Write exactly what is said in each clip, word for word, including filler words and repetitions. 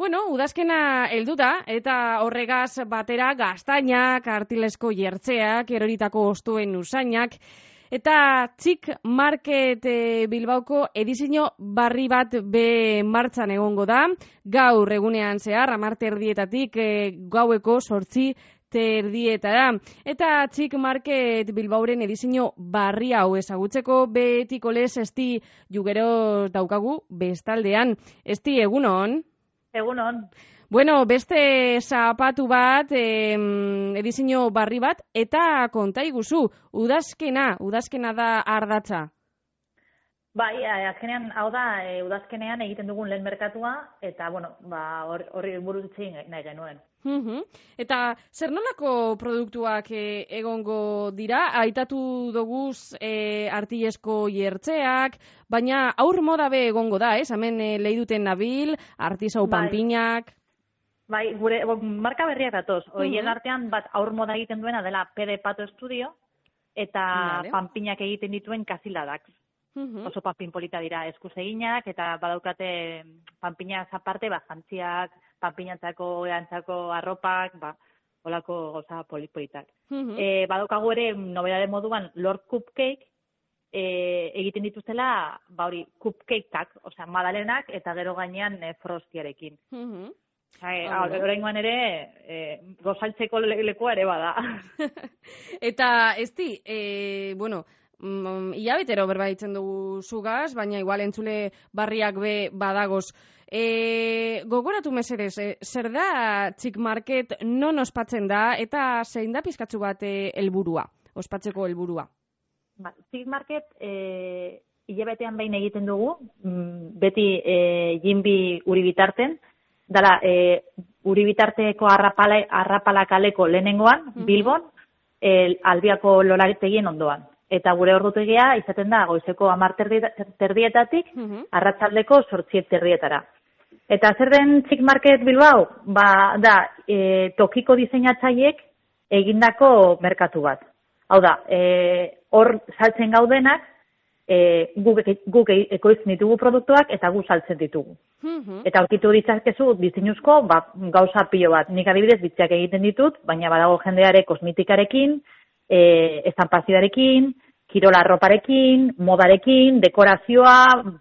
bueno, udazkena heldu da, eta horregaz batera gaztainak, artilesko jertzeak, eroritako ostuen usainak, eta Txik Market e, Bilbaoko edizio barri bat be martxan egongo da, gaur egunean zehar, hamar erdietatik e, gaueko sortzi terdietara. Eta Txik Market Bilbaoren edizio barri hau ezagutzeko betiko lez esti jugero daukagu bestaldean. Esti, egunon? Egunon. Bueno, beste zapatu bat, eh, edizio barri bat, eta konta iguzu, udazkena, udazkena da ardatza. Bai, azkenean, hau da, e, udazkenean egiten dugun lehen merkatua, eta, bueno, ba, horri buruz egin nahi genuen. Uhum. Eta zer nolako produktuak e, egongo dira? Aitatu doguz e, artilesko jertzeak, baina aur moda be egongo da, ez? Hemen e, lehiduten nabil, artisau bai. panpinak. Bai, gure marka berriak datoz. Hoien uhum. artean bat aur moda egiten duena dela P D Pato Studio, eta vale. panpinak egiten dituen Kasiladak. Uhum. Oso panpin polita dira eskuz eginak, eta badaukate panpinak aparte, ba, jantziak, panpinatzako, erantzako arropak, ba, olako goza polipolitak. Uh-huh. E, badaukagu ere, nobedade moduan, Lord Cupcake, e, egiten dituztela, ba hori, cupcakeak, osea, madalenak, eta gero gainean e, frostiarekin. Uh-huh. Oraingoan ere, e, gozaltzeko lekoa ere bada. Eta, esti, e, bueno, mm, hilabetero berbaitzen dugu zugaz, baina igual entzule barriak be badagoz. E, gogoratu mesedez, e, zer da Txik Market non ospatzen da eta zein da pizkatzu bat helburua, e, ospatzeko helburua? Ba, Txik Market e, hilabetean behin egiten dugu, beti e, jinbi uri bitarten, dala e, uri bitarteko arrapala, arrapala kaleko lehenengoan, mm-hmm. Bilbon, e, Albiako Lorategien ondoan. Eta gure ordutegia izaten da goizeko hamar terdietatik, mm-hmm. arratsaldeko zortzi terdietara. Eta zer den Txik Market Bilbao? Ba, da, e, tokiko diseinatzaileek egindako merkatu bat. Hau da, e, hor saltzen gaudenak, e, guk, guk ekoizten ditugu produktuak eta gu saltzen ditugu. Mm-hmm. Eta aurkitu ditzakezu diseinuzko ba, gauza pilo bat. Nik adibidez bitziak egiten ditut, baina badago jendeare kosmetikarekin, e, estampazioarekin, kirola arroparekin, modarekin, dekorazioa,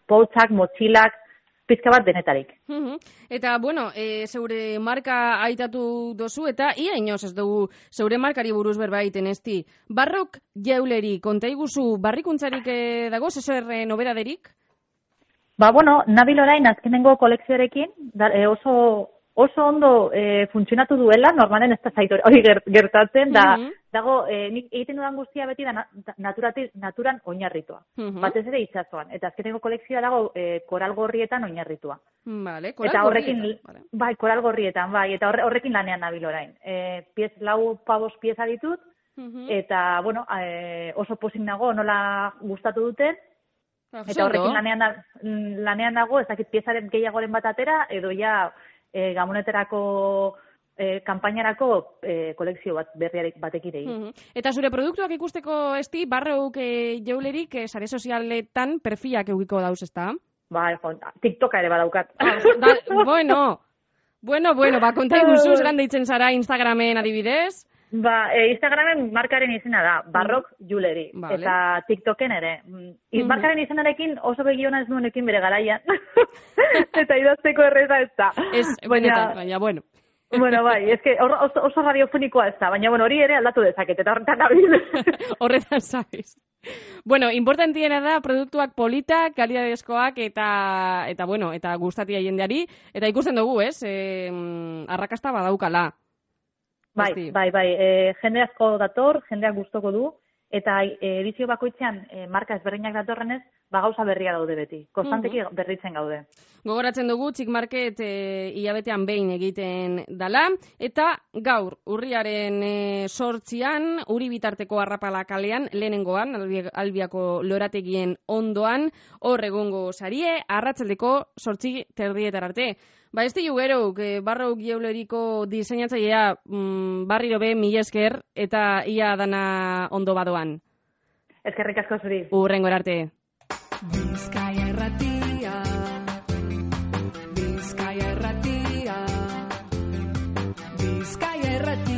poltsak, motxilak, pizka bat denetarik. Uh-huh. Eta, bueno, e, zeure marka aitatu dozu, eta ia inoz ez dugu zeure markari buruz berbaiten esti. Barrok jauleri, konta iguzu, barrikuntzarik e, dago, zezer e, nobedaderik? Ba, bueno, nabil orain azkenengo kolekzioarekin, da, e, oso, oso ondo e, funtzionatu duela, normalen ez da zaitu hori gertatzen, da, uh-huh. dago, e, nik egiten dudan guztia beti da naturatik, naturan oinarritua. Uh-huh. Batez ere itsasoan. Eta azkeneko kolekzioa dago e, koral gorrietan oinarritua. Vale, koral eta horrekin, gorrietan. Vale. Bai, koral gorrietan, bai, eta horre, horrekin lanean nabil orain. E, piez, lau pabos pieza ditut, uh-huh. eta, bueno, e, oso pozik nago, nola gustatu duten, ah, eta horrekin lanean, lanean nago, ez dakit piezaren gehiagoren bat atera, edo ja e, gamoneterako E, kanpainarako e, kolekzio bat berriarek batekin egin. Mm-hmm. Eta zure produktuak ikusteko esti, barreuk e, jaulerik e, sare sozialetan perfilak eukiko dauz, ezta? Ba, TikToka ere badaukat. Da, bueno, bueno, bueno, ba, konta iguzuz, lan deitzen zara Instagramen adibidez? Ba, e, Instagramen markaren izena da, Barrok Jewelry, vale. Eta TikToken ere. Mm-hmm. Markaren izenarekin oso begiona ez nuenekin bere garaian. Eta idazteko erreza ez da. Ez, benetan, baina, bueno. Bueno, bai, es que oso, oso radiofonikoa ez da, baina bueno, hori ere aldatu dezaket, eta horretan nabil. Horretan sabes. Bueno, importantiena da produktuak politak, kalidadezkoak eta eta bueno, eta gustatia jendeari, eta ikusten dugu, ez? Eh, arrakasta badaukala. Bai, Esti. bai, bai, e, jende asko dator, jendeak gustoko du, eta e, edizio bakoitzean e, marka ezberdinak datorrenez, ba gauza berria daude beti. Konstanteki uh-huh. berritzen gaude. Gogoratzen dugu Txik Market e, hilabetean behin egiten dala, eta gaur urriaren e, sortzian, uri bitarteko arrapala kalean, lehenengoan, Albiako Lorategien ondoan, hor egongo sarie, arratsaldeko sortzi terdietar arte. Ba, ez diu gero, Barrok Jewelryko diseinatzailea mm, barriro be mila esker, eta ia dana ondo badoan. Eskerrik asko zuri. Urrengo arte. Bizkaia erratia, Bizkaia erratia. Bizkaia errati